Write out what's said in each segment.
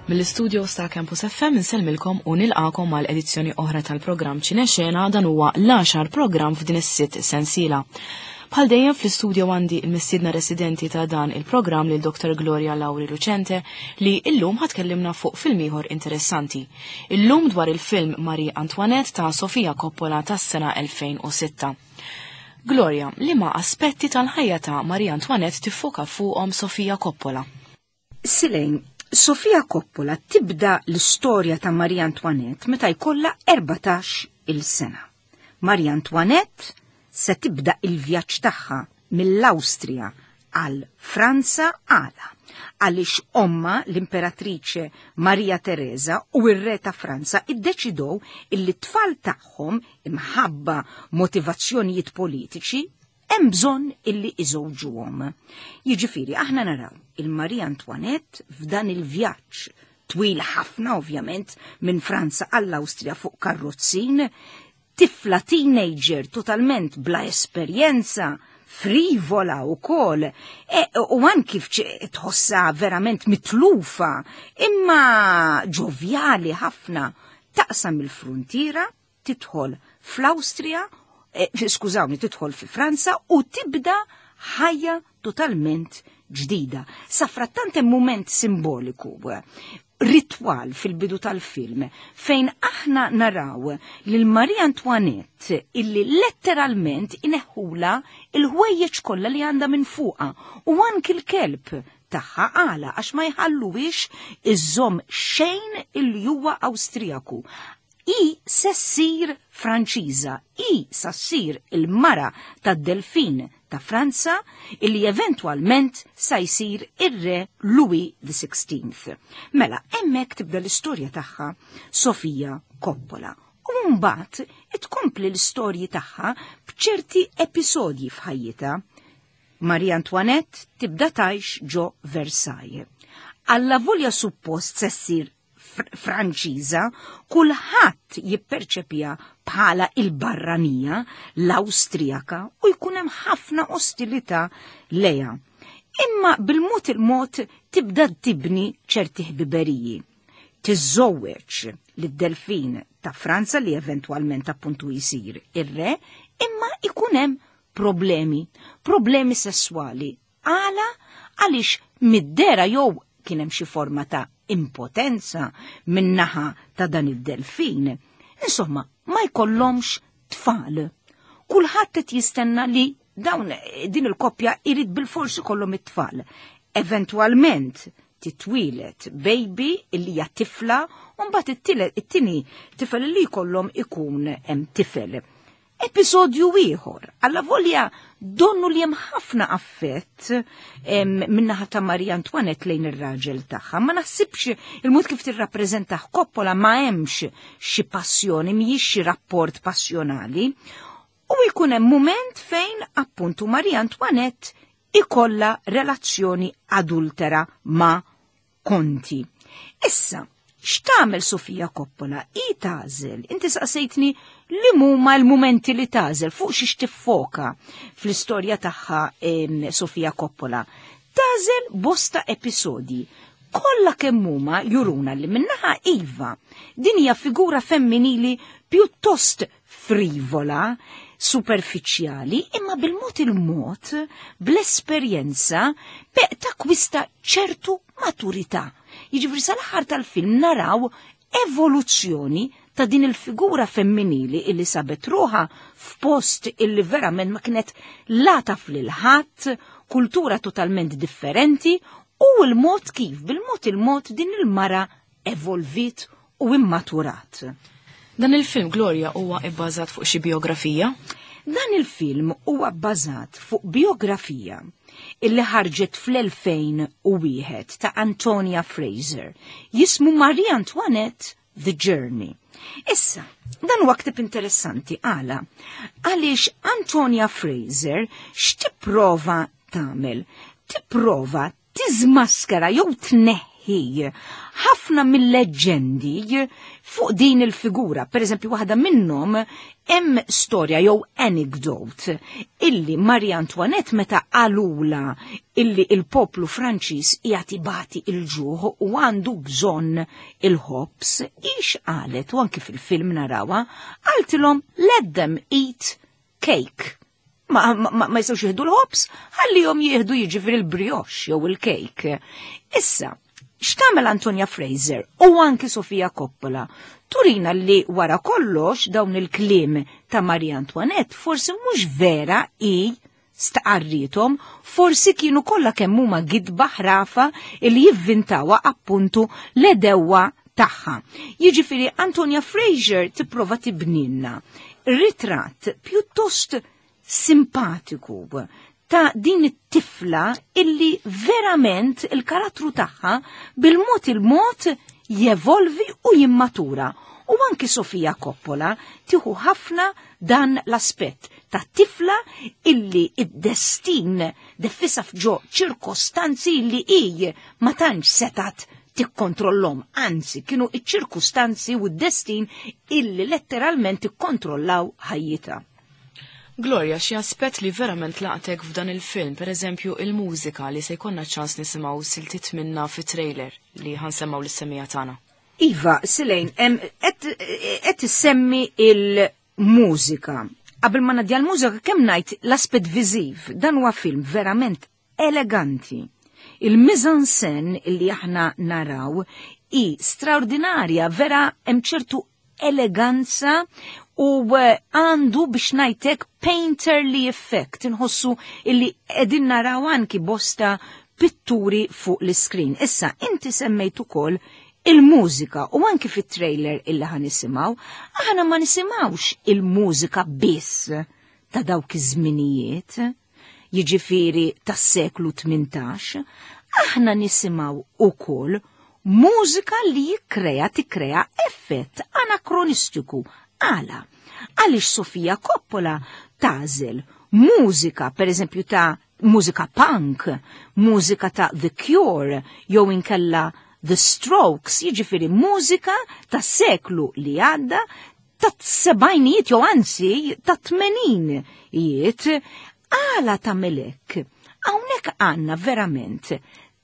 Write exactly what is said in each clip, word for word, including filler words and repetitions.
Mill-istudio ta' Campus F M insellmilkom u nilqakom għal edizzjoni oħra tal-programm Ċinexena. Dan huwa l-għaxar programm f'din is-sitt sensiela. Bħal dejjem, fl-istudio għandi il-mistiedna residenti ta' dan il-programm, lil Doktor Gloria Lauri Lucente, li illum ħa tkellimna fuq film ieħor interessanti. Illum dwar il-film Marie Antoinette ta' Sofia Coppola tas-sena elfejn u sitta. Gloria, liema aspetti tal-ħajja ta' Marie Antoinette tiffoka fuqhom Sofia Coppola? Silejn, Sofia Coppola tibda l-istorja ta' Marie Antoinette meta jkollha erbatax il-sena. Marie Antoinette se tibda il-vjaġġ tagħha mill-Awstrija għal Franza. Għala? Għaliex omma, l-imperatriċe Maria Teresa, u r-re ta' Franza iddeċidow illi t-tfal tagħhom, imħabba motivazzjonijiet politiċi, hemm bżonn illi iżewġuhom. Jiġifieri aħna naraw il-Maria Antoinette f'dan il-vjaġġ twil ħafna, ovvjament, minn Franza għall-Awstrija fuq karrozzin, tifla teenager totalment bla esperjenza, frivola u kol, e, u anki tħossa verament mitlufa, imma ġovjali ħafna, taqsam il-frontiera, tidħol fl-Awstrija, e, skużawni, tidħol fi Franza u tibda ħajja totalment ġdida. Safrattant hemm moment simboliku, ritwal fil-bidu tal-film, fejn aħna naraw lil Marie Antoinette illi letteralment ineħħula il-ħwejjeġ kollha li għandha minn fuqha u anki l-kelb tagħha. Għala? Għax ma jħalluwix iżżomm xejn illi huwa Awstrijaku. I se ssir Franċiża, i sa ssir il-mara tad-Delfin ta' Franza, illi eventwalment sa jsir ir-re Louis the Sixteenth. Mela, hemmhekk tibda l-istorja tagħha Sofia Coppola. U mbagħad tkompli l-istorji tagħha b'ċerti episodji f'ħajjitha. Marie Antoinette tibda tgħix ġo Versailles. Alla volja suppost se ssir Franċiża, kulħadd jipperċepija bħala il-barranija, l-Awstrijaka, u jkun hemm ħafna ostilità leja. Imma bil-mod il-mod tibda tibni ċerti ħbiberiji. Tiżżewweġ lid-Delfin ta' Franza, li eventwalment appuntu jisir ir-re, imma ikun hemm problemi, problemi sessuali. Għala? Għaliex mid-dehra jew kien hemm xi forma ta' impotenza min-naħa ta' dan id-delfin. Insomma, ma jkollhomx tfal. Kulħadd qed jistenna li dawn din il-koppja irid bil-forsi kollhom it-tfal. Eventwalment titwieled baby illi hija tifla u mbagħad it-tieni tifel li jkollhom ikun hemm tifel. Episodju ieħor, alla volja donnu li hemm ħafna affett min-naħa ta' Maria Antoinette lejn ir-raġel tagħha. Ma naħsibx, il-mod kif tirrappreżentah Coppola, ma hemmx xi passjoni, mhijiex xi rapport passjonali. U jkun hemm mument fejn appuntu Maria Antoinette ikolla relazzjoni adultera ma' Konti. Issa, x'tagħmel Sofia Coppola? I tagħżel, inti saqsejtni li huma l-mumenti li tagħżel, fuq xiex tiffoka fl-istorja tagħha Sofia Coppola. Tagħżel bosta episodji. Kollha kemm huma juruna li min-naħa iva, din hija figura femminili pjuttost frivola, superfiċjali, imma bil-mod il-mod, bl-esperjenza, beq takwista ċertu maturità. Jiġifieri sal-aħħar tal-film naraw evoluzzjoni ta' din il-figura femminili illi sabet ruħha f'post illi verament ma kienet la taf lil ħadd, kultura totalment differenti, u l-mod kif bil-mod il-mod din il-mara evolvit u immaturat. Dan il-film, Gloria, huwa ibbażat fuq xi biografija? Dan il-film huwa bbażat fuq biografija illi ħarġet fl-elfejn u wieħed ta' Antonia Fraser, jismu Marie Antoinette: The Journey. Issa, dan huwa ktib interessanti. Għala? Għaliex Antonia Fraser x'tipprova tagħmel? Tipprova tiżmaskara jew tneħħi tneħħi ħafna mill-leġġendi fuq din il-figura. Per eżempju, waħda minnhom hemm storja jew anecdote illi Marie Antoinette meta qalula illi il-poplu Franċiż qiegħed ibati il-ġuħ u għandu bżonn il-ħobż, ix qalet u anki fil-film narawha, qaltilhom let them eat cake. Ma, ma, ma jistgħux jieħdu l-ħobż, ħallihom jieħdu jiġifieri il-brioche jew il-cake. Issa, x'tagħmel Antonia Fraser u anki Sofia Coppola? Turina li wara kollox dawn il-kliem ta' Marie Antoinette forsi mhux vera i stqarrithom, forsi kienu kollha kemm huma gidba ħrafa li jivvintawa appuntu l-għedewwa tagħha. Jiġifieri Antonia Fraser tipprova tibninna ritratt pjuttost simpatiku ta' din it-tifla illi verament il-karattru tagħha bil-mod il-mod jevolvi u jimmatura. U anki Sofia Coppola tieħu ħafna dan l-aspett ta' tifla illi id-destin defissa f'ġo ċirkostanzi illi hi ma tantx setat tikkontrollhom, anzi kienu iċ-ċirkustanzi u d-destin illi letteralment ikkontrollaw ħajjitha. Gloria, xi aspett li verament laqtek f'dan il-film, per eżempju il-mużika li se jkollna ċans nisimgħu siltiet minna fit-trailer li ħa nsemmgħu lis-semmiegħa tagħna. Iva, Silejn, qed issemmi il-mużika. Qabel ma ngħaddi l-mużika kemm ngħid l-aspett viżiv, dan huwa film verament eleganti. Il-mise-en-scène illi aħna naraw i straordinarja, vera hemm ċertu eleganza u eh, għandu biex ngħidlek painterly effect, inħossu illi qegħdin naraw anki bosta pitturi fuq l-screen. Issa, inti semmejt ukoll il-mużika u anki fit-trailer illi ħa nisimgħu, aħna ma nisimgħux il-mużika biss ta' dawk iż-żminijiet, jiġifieri tas-seklu tmintax, aħna nisimgħu ukoll mużika li jikkrea tikkrea effett anakronistiku. Għala, għaliex Sofia Coppola tagħżel mużika, per eżempju ta' mużika punk, mużika ta' The Cure, jew inkella The Strokes, jiġifieri mużika ta' seklu li għadda ta' sebgħinijiet jew anzi ta' tmeninijiet. Għala tagħmel hekk? Hawnhekk għandna verament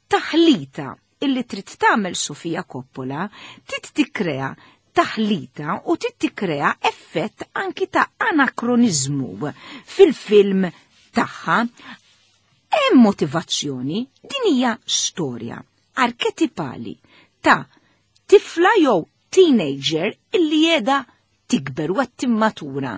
taħlita illi trid tagħmel Sofia Coppola, trid tikkrea taħlita u trid tikkrea effett anki ta' anakronizmu fil-film tagħha. Hemm motivazzjoni, din hija storja arketipali ta' tifla jew teenager illi qiegħda tikber u timmatura.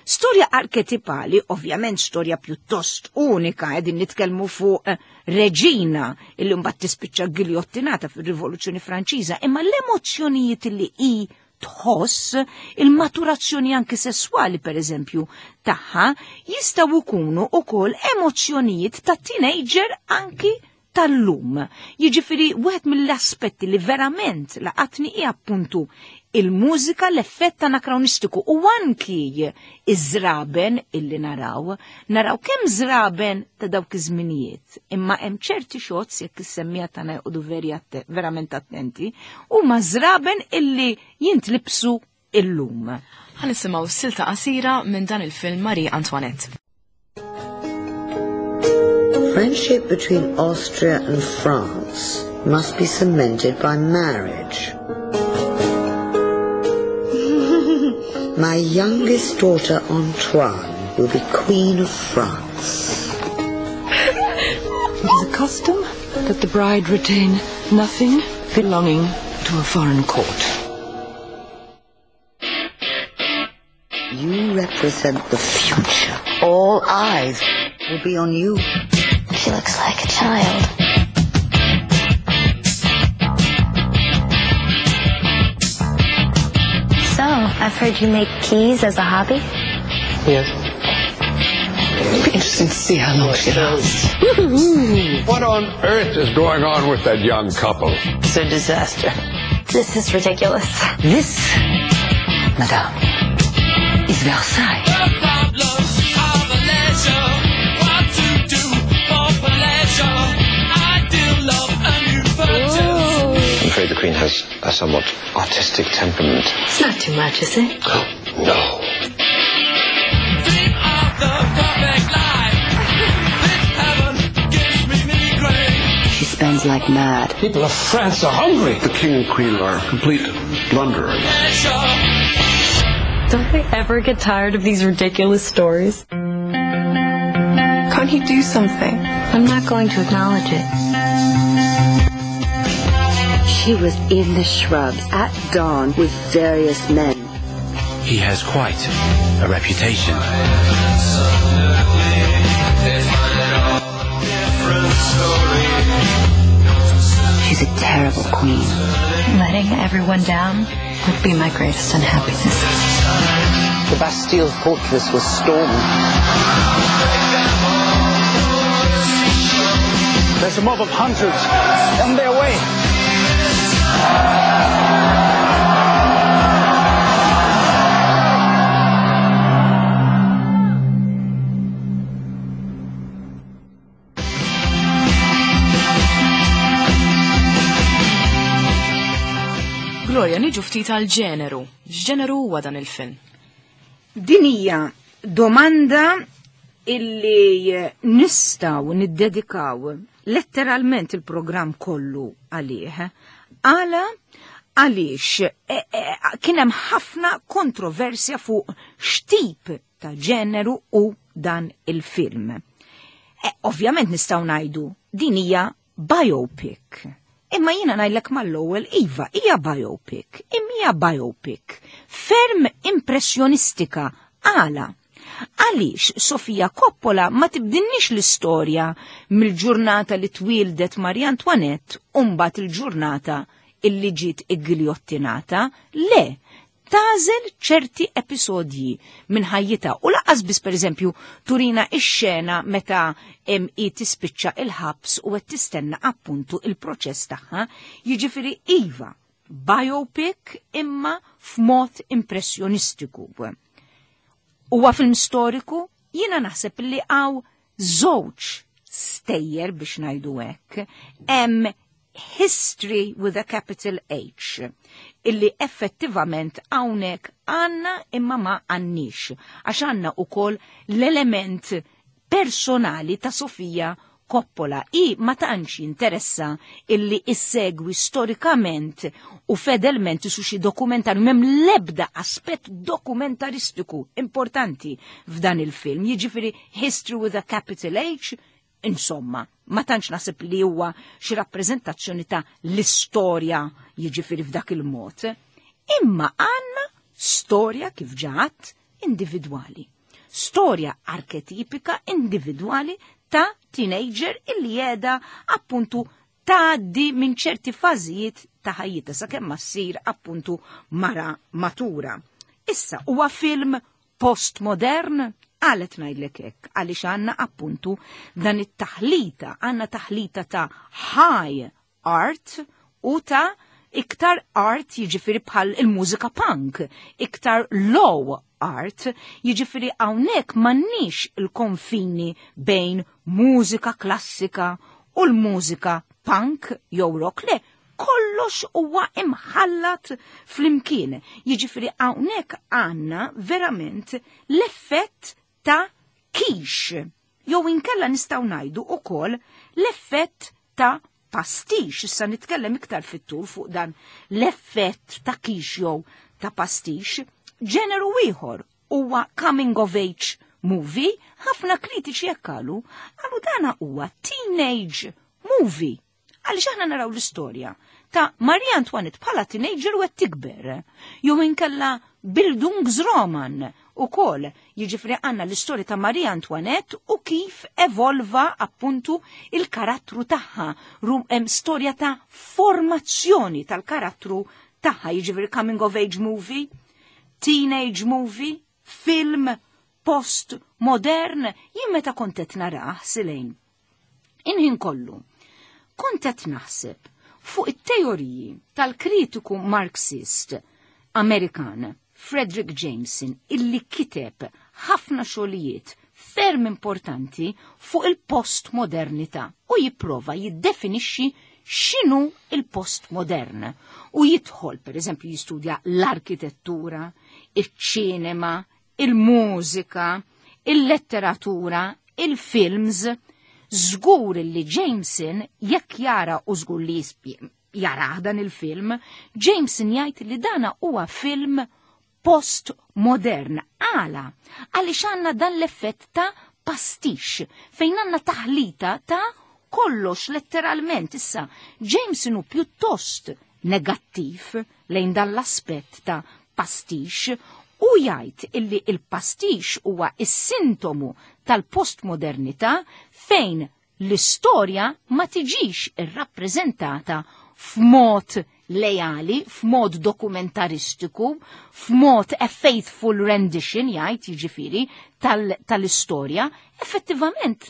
Storja arketipali, ovvjament storja pjuttost unika, qegħdin nitkellmu fuq eh, reġina illi mbagħad tispiċċa giljottinata fir-Rivoluzzjoni Franċiża, imma l-emozzjonijiet illi hi tħoss, il-maturazzjoni anki sessuali per eżempju tagħha, jistgħu jkunu ukoll emozzjonijiet ta' teenager anki tal-lum. Jiġifieri wieħed mill-aspetti li verament laqatni hi appuntu il-mużika, l-effett anakronistiku u anki iż-żraben illi naraw, naraw kemm żraben ta' dawk iż-żminijiet, imma hemm ċerti shots jekk is-semmiegħa tagħna joqogħdu veri atte- verament attenti, huma żraben illi jintlibsu illum. Ħa nisimgħu silta qasira minn dan il-film Marie Antoinette. Friendship between Austria and France must be cemented by marriage. My youngest daughter, Antoine, will be Queen of France. It is a custom that the bride retain nothing belonging to a foreign court. You represent the future. All eyes will be on you. She looks like a child. So, I've heard you make keys as a hobby? Yes. It'll be interesting to see how long she lasts. What on earth is going on with that young couple? It's a disaster. This is ridiculous. This, madame, is Versailles. The problems are the leisure. What to do for pleasure? I do love a new purchase. afraid the Queen has a somewhat artistic temperament. It's not too much, is it? No. Dream of the perfect life. This heaven gives me migraine. She spends like mad. People of France are hungry. The King and Queen are complete blunderers. Pleasure. Don't they ever get tired of these ridiculous stories? Can't you do something? I'm not going to acknowledge it. She was in the shrubs at dawn with various men. He has quite a reputation. She's a terrible queen. Letting everyone down would be my greatest unhappiness. The Bastille fortress was stormed. There's a mob of hundreds on their way. Gloria, niġu ftit għal ġeneru. X'ġeneru huwa dan il-film? Din hija domanda illi nistgħu niddedikaw letteralment il-programm kollu għalih. Għala għaliex e, e, kien hemm ħafna kontroversja fuq x'tip ta' ġeneru u dan il-film. E, ovvjament nistgħu ngħidu din hija biopic. Imma jiena ngħidlek mal-ewwel iva, hija biopic, imma hija biopic ferm impressjonistika. Għala? Għaliex Sofia Coppola ma tibdinniex l-istorja mill-ġurnata li twildet Marie Antoinette u mbagħad il-ġurnata illi ġiet iggiljottinata, le, tagħżel ċerti episodji minn ħajjitha u lanqas biss pereżempju turina ix-xena meta em, hi tispiċċa il-ħabs u qed tistenna appuntu il-proċess tagħha, jiġifieri iva, biopic imma f'mod impressjonistiku. Huwa film storiku, jiena naħseb li hawn żewġ stejjer biex ngħidu hekk. Hemm history with a capital H, illi effettivament hawnhekk għandna imma ma għandniex, għax għandna ukoll l-element personali ta' Sofia Coppola. I ma tantx interessa illi issegwi storikament u fedelment su xi dokumentarju, m'hemm l-ebda aspett dokumentaristiku importanti f'dan il-film, jiġifieri history with a capital H, insomma, ma tantx naħseb li huwa xi rappreżentazzjoni ta' l-istorja jiġifieri f'dak il-mod. Imma għandna storja kif ġat individwali. Storja arketipika individwali ta' teenager illi jeda appuntu tgħaddi minn ċerti fażijiet ta' ħajjitha sakemm ma ssir appuntu mara matura. Issa huwa film postmodern, għalet ngħidlek hekk, għaliex għandna appuntu dan it-taħlita, għandna taħlita ta' high art u ta' iktar art jiġifieri bħal il-mużika punk, iktar low art, jiġifieri hawnhekk m'għandniex il-konfini bejn mużika klassika u l-mużika punk jew rock, le, kollox huwa imħallat flimkien. Jiġifieri hawnhekk għandna verament l-effett ta' quiche, jew inkella nistgħu ngħidu ukoll l-effett ta' pastiche. Issa nitkellem iktar fit-tul fuq dan l-effett ta' quiche jew ta' pastiche. Ġeneru ieħor huwa coming of age movie, ħafna kritiċi hekk qalu, qalu dana huwa teenage movie. Għaliex aħna naraw l-istorja ta' Marie Antoinette bħala teenager u qed tikber, jew inkella Bildungsroman ukoll, jiġifieri għandna l-istorja ta' Marie Antoinette u kif evolva appuntu il-karattru tagħha, rum hemm storja ta' formazzjoni tal-karattru tagħha, jiġifieri coming of age movie, teenage movie, film post-modern. Jien meta kont qed narah silejn, inħin kollu, kont qed naħseb fuq it-teoriji tal-kritiku Marxist Amerikan Fredric Jameson, illi kiteb ħafna xogħlijiet ferm importanti fuq il-postmodernità u jipprova jiddefinixxi x'inhu il-postmodern. U jidħol, per eżempju, jistudja l-arkitettura, il-ċinema, il-mużika, il-letteratura, il-films. Żgur li Jameson, jekk jara, u żgur li jara dan il-film, Jameson jgħid li dana huwa film postmodern. Għala? Għaliex għandna dan l-effett ta' pastiche, fejn għandna taħlita ta' kollox letteralment. Issa, Jameson hu pjuttost negattiv lejn dan l-aspett ta' pastiche u jgħid illi il-pastiche huwa is-sintomu tal-postmodernità fejn l-istorja ma tiġix irrappreżentata f'mod lejali, f'mod dokumentaristiku, f'mod a faithful rendition, jgħid jiġifieri tal-istorja, effettivament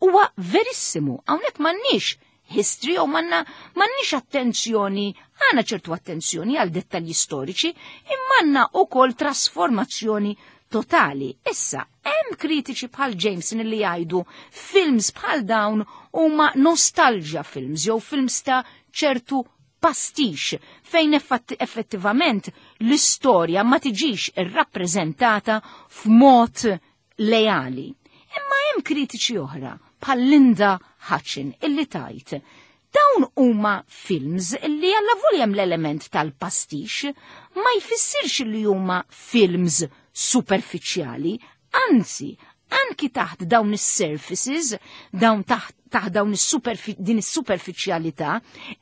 huwa verissimu. Hawnhekk m'għandniex history u manna m'għandniex attenzjoni, għandna ċertu attenzjoni għal dettalji storiċi, imma għandna ukoll trasformazzjoni totali. Issa, hemm kritiċi bħal Jameson li jgħidu films bħal dawn huma nostalgia films jew films ta' ċertu pastiche fejn effettivament l-istorja ma tiġix irrappreżentata f'mod lejali. Imma hemm kritiċi oħra bħal Linda Hutcheon illi tgħid dawn huma films illi għalla hemm l-element tal-pastiche ma jfissirx li huma films superfiċjali, anzi, anki taħt dawn is-surfaces, dawn taħt, taħt dawn is din is-superfiċjalità,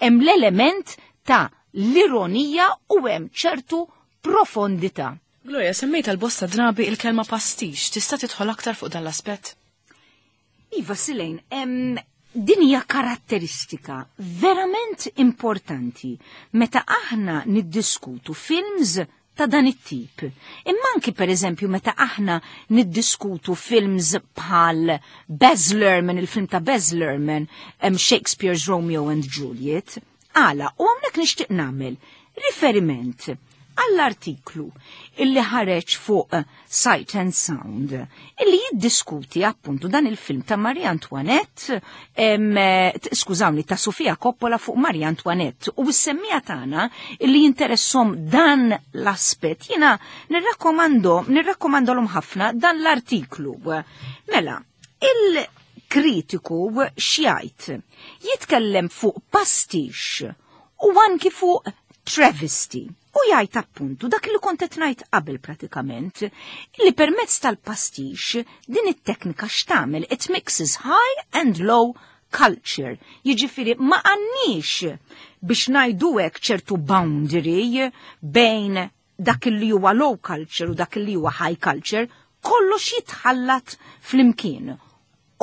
hemm l-element ta' l-ironija u hemm ċertu profondità. Gloria, semmejt għal bosta drabi il-kelma pastiche, tista' tidħol aktar fuq dan l-aspett? Iva, Silejn, em, din hija karatteristika verament importanti meta aħna niddiskutu films ta' dan it-tip. Imma anki per eżempju meta aħna niddiskutu films bħal Baz Luhrmann, il-film ta' Baz Luhrmann, um, Shakespeare's Romeo and Juliet, għala, u hawnhekk nixtieq nagħmel riferiment għall-artiklu illi ħareġ fuq Sight and Sound illi jiddiskuti appuntu dan il-film ta' Marie Antoinette, em, skużawni, ta' Sofia Coppola fuq Marie Antoinette, u s-semmiegħa tagħna illi jinteressom dan l-aspett jiena nirrakkomando nirrakkomandolhom ħafna dan l-artiklu. Mela, il-kritiku x'jgħid? Jitkellem fuq pastiche u anki fuq travesty. U jgħid appuntu dak li kont qed ngħid qabel pratikament, li permezz tal-pastiche din it-teknika x'tagħmel, it mixes high and low culture. Jiġifieri ma għandniex biex ngħidu hekk ċertu boundary bejn dak li huwa low culture u dak li huwa high culture, kollox jitħallat flimkien.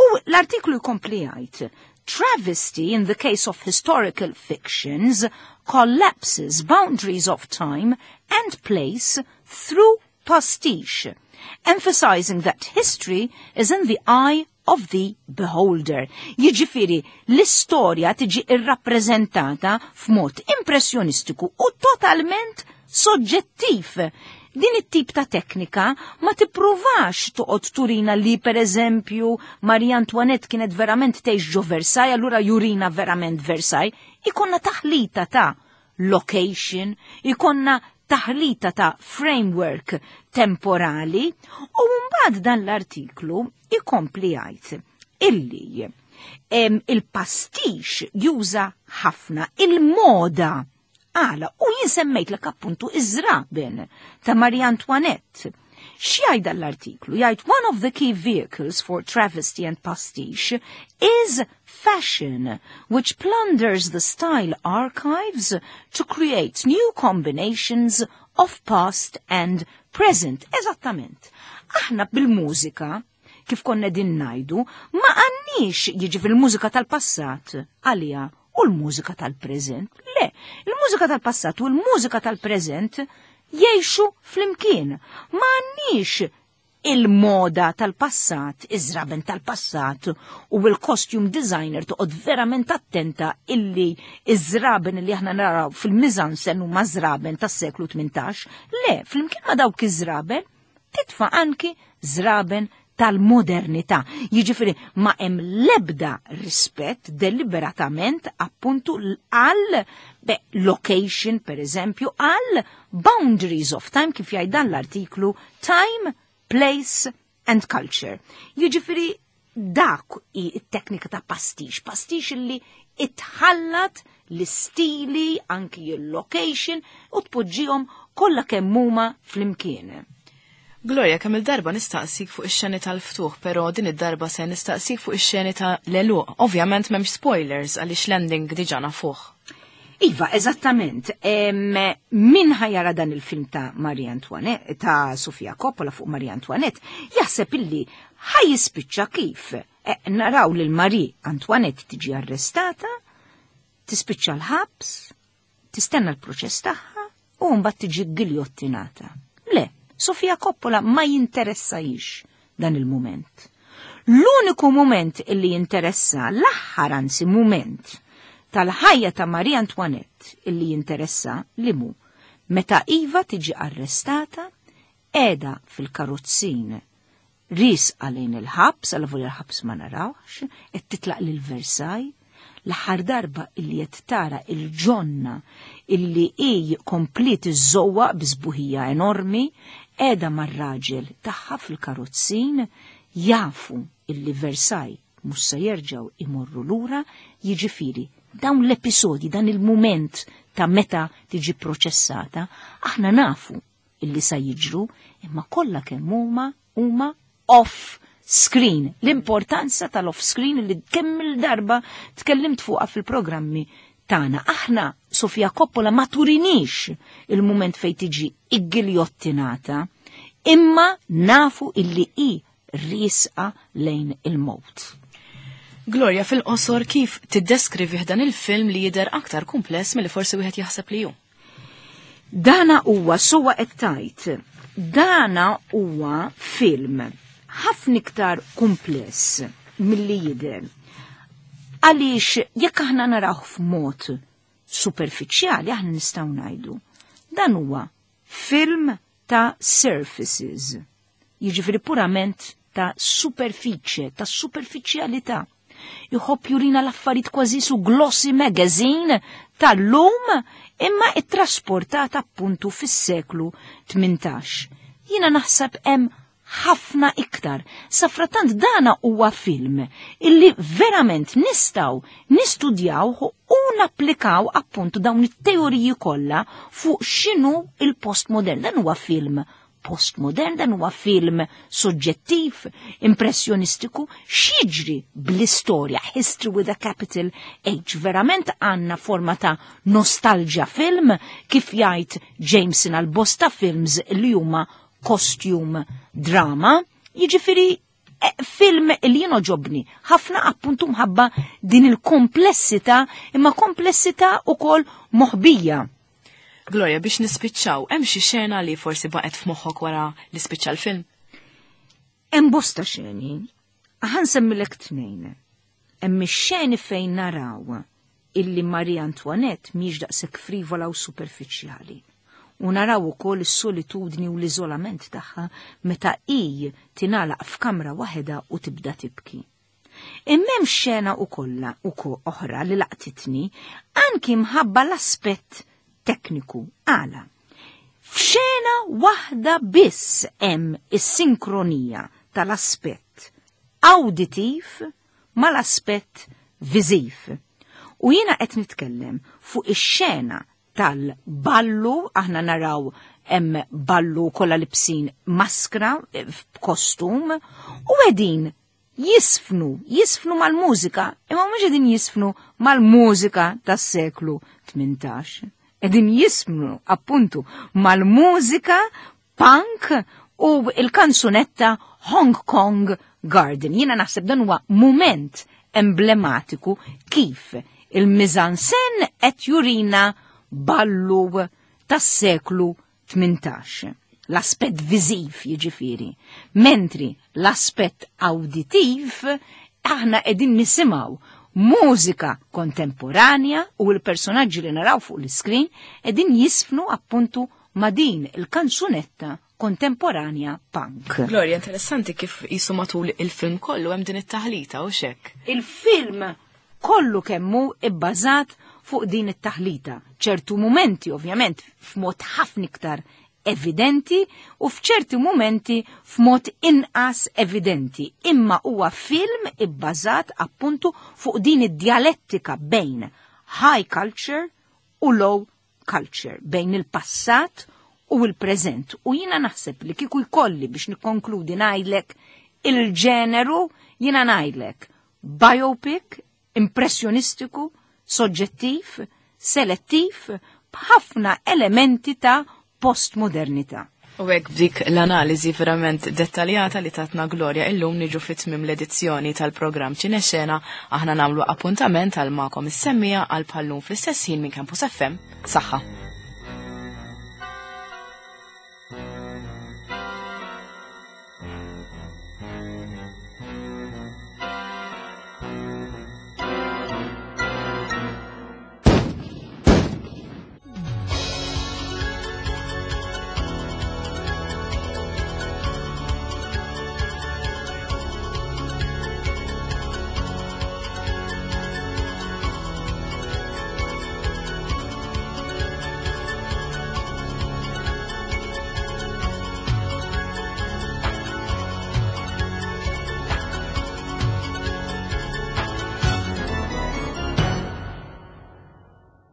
U l-artiklu jkompli jgħid, travesty in the case of historical fictions collapses boundaries of time and place through pastiche, emphasizing that history is in the eye of the beholder. Jiġifieri l-istorja tiġi irrappreżentata f'mod impressjonistiku u totalment soġġettiv. Din it-tip ta' teknika ma tippruvax toqgħod turina li per eżempju Marie Antoinette kienet verament tgħix ġo Versailles, allura jurina verament Versailles, ikonna taħlita ta' location, ikonna taħlita ta' framework temporali, u mbagħad dan l-artiklu ikompli jgħid illi il-pastiche juża ħafna il-moda. Għala, u jien semmejtlek appuntu iż-żraben ta' Marie Antoinette. X'jgħid l-artiklu? Jgħid one of the key vehicles for travesty and pastiche is fashion, which plunders the style archives to create new combinations of past and present. Eżattament. Aħna bil-mużika, kif konna din ngħidu, ma għandniex jiġi fil-mużika tal-passat għalija u l-mużika tal-preżent. Le, il-mużika tal-passat u l-mużika tal-preżent jgħixu flimkien. Ma għandniex il-moda tal-passat, iż-żraben tal-passat u il-costume designer toqgħod verament attenta illi iż-żraben li aħna naraw fil-mise-en-scène huma żraben tas-seklu tmintax. Le, flimkien ma dawk iż-żraben titfa' anki żraben tal-modernità. Jiġifieri ma hemm l-ebda rispett deliberatament appuntu għal beh, location, per eżempju, għal boundaries of time, kif jgħid dan l-artiklu Time, Place and Culture. Jiġifieri dak hi t-teknika ta' pastiche, pastiche li itħallat l-istili, anki il-location, u tpoġġihom kollha kemm huma flimkien. Gloria, kemm il-darba nistaqsik fuq ix-xeni tal-ftuħ, però din id-darba se nistaqsik fuq ix-xeni ta' l-għeluq. Ovvjament m'hemmx spoilers għaliex l-ending diġà nafuh. Iva, eżattament. Min ħa jara dan il-film ta' Marie Antoinette, ta' Sofia Coppola fuq Marie Antoinette, jaħseb illi ħa jispiċċa kif. E, naraw lil Marie Antoinette tiġi arrestata, tispiċċa l-ħabs, tistenna l-proċess tagħha u mbagħad tiġi giljottinata. Le, Sofia Coppola ma jinteressahiex dan il-moment. L-uniku moment illi jinteressa, l-aħħar anzi moment tal-ħajja ta' Marie Antoinette illi jinteressa li mu meta Iva tiġi arrestata, qiegħda fil-karozzin riesqa lejn il-ħabs, għal il-ħabs ma narawx, qed titlaq lil Versailles, l-aħħar darba illi qed tara il-ġonna illi hi kompliet iżżewwaq bi sbuħija enormi, qiegħda mar-raġel tagħha fil-karozzin, jafu illi Versailles mhux se jerġgħu imorru lura, jiġifieri dawn l-episodi, dan il-moment ta' meta tiġi proċessata, aħna nafu illi sa jiġru, imma kollha kemm huma huma off screen. L-importanza tal-off screen li kemm il-darba tkellimt fuqha fil-programmi tagħna. Aħna Sofia Coppola ma turinix il-moment fejn tiġi iggiljottinata, imma nafu illi hi riesqa lejn il-mowt. Gloria, fil-qosor kif tiddeskrivi dan il-film li jidher aktar kumpless milli forsi wieħed jaħseb li hu? Dana huwa suwa qed tajt. Dana huwa film ħafna iktar kumpless milli jidher. Għaliex jekk aħna narawh f'mod superfiċjali aħna nistgħu ngħidu. Dan huwa film ta' surfaces. Jiġifieri purament ta' superfiċje, ta' superfiċjalità. Jħobb jurina l-affarijiet kważi su glossy magazine tal-lum imma ittrasportata appuntu fis-seklu tmintax. Jiena naħseb hemm ħafna iktar. Safratant dana huwa film illi verament nistgħu nistudjaw u napplikaw appuntu dawn it-teoriji kollha fuq x'inhu il-postmodern. Dan huwa film postmodern, dan huwa film soġġettiv, impressjonistiku, x'jiġri bl-istorja, history with a capital H. Verament għandna forma ta' nostalgia film, kif jgħid Jameson għal bosta films li huma costume drama, jiġifieri film li jien għoġobni ħafna appuntu mħabba din il-komplessità, imma komplessità ukoll moħbija. Gloria, biex nispiċċaw, hemm xi xena li forsi baqgħet f'moħħok wara li spiċċa l-film? Hemm bosta xeni. Ħa nsemmilek tnejn. Hemm ix-xeni fejn naraw illi Marie Antoinette mhix daqshekk frivola u superfiċjali. U naraw ukoll is-solitudni u l-iżolament tagħha meta hi tingħalaq f'kamra waħedha u tibda tibki. Imma hemm xena ukoll ukoll oħra li laqtitni anki mħabba l-aspett tekniku. Għala. F'xena waħda biss hemm is-sinkronija tal-aspett auditiv mal-aspett viżiv. U jiena qed nitkellem fuq ix-xena tal-ballu, aħna naraw hemm ballu kollha libsin maskra f'kostum u qegħdin jisfnu, jisfnu mal-mużika, imma mhux qegħdin jisfnu mal-mużika tas-seklu tmintax. Qegħdin jisfnu appuntu mal-mużika punk u il-kanzunetta Hong Kong Garden. Jiena naħseb dan huwa moment emblematiku kif il-mizansen qed jurina ballu tas-seklu tmintax. L-aspett viżiv jiġifieri, mentri l-aspett auditiv aħna qegħdin nisimgħu mużika kontemporanja u l-personaġġi li naraw fuq l-iskrin qegħdin jisfnu appuntu ma' din il-kanzunetta kontemporanja punk. Gloria, interessanti kif jisu matul il-film kollu hemm din it-taħlita u xek. Il-film kollu kemmu ibbażat fuq din it-taħlita. ċertu mumenti, ovvjament, f'mod ħafna iktar evidenti u f'ċerti mumenti f'mod inqas evidenti. Imma huwa film ibbażat appuntu fuq din id-dialettika bejn high culture u low culture, bejn il-passat u il-preżent. U jina naħseb li kieku jkolli biex nikkonkludi ngħidlek il-ġeneru, jina ngħidlek biopic, impressjonistiku, soġġettiv, selettiv, b'ħafna elementi ta' postmodernità. U hekk b'dik l-analiżi verament dettaljata li tatna Gloria illum niġu fit-tmiem l-edizzjoni tal-programm Ċinexena, aħna nagħmlu appuntament għal magħkom is-semmiegħa għal bħal-lum fl-istess ħin minn Campus F M. Saħħa.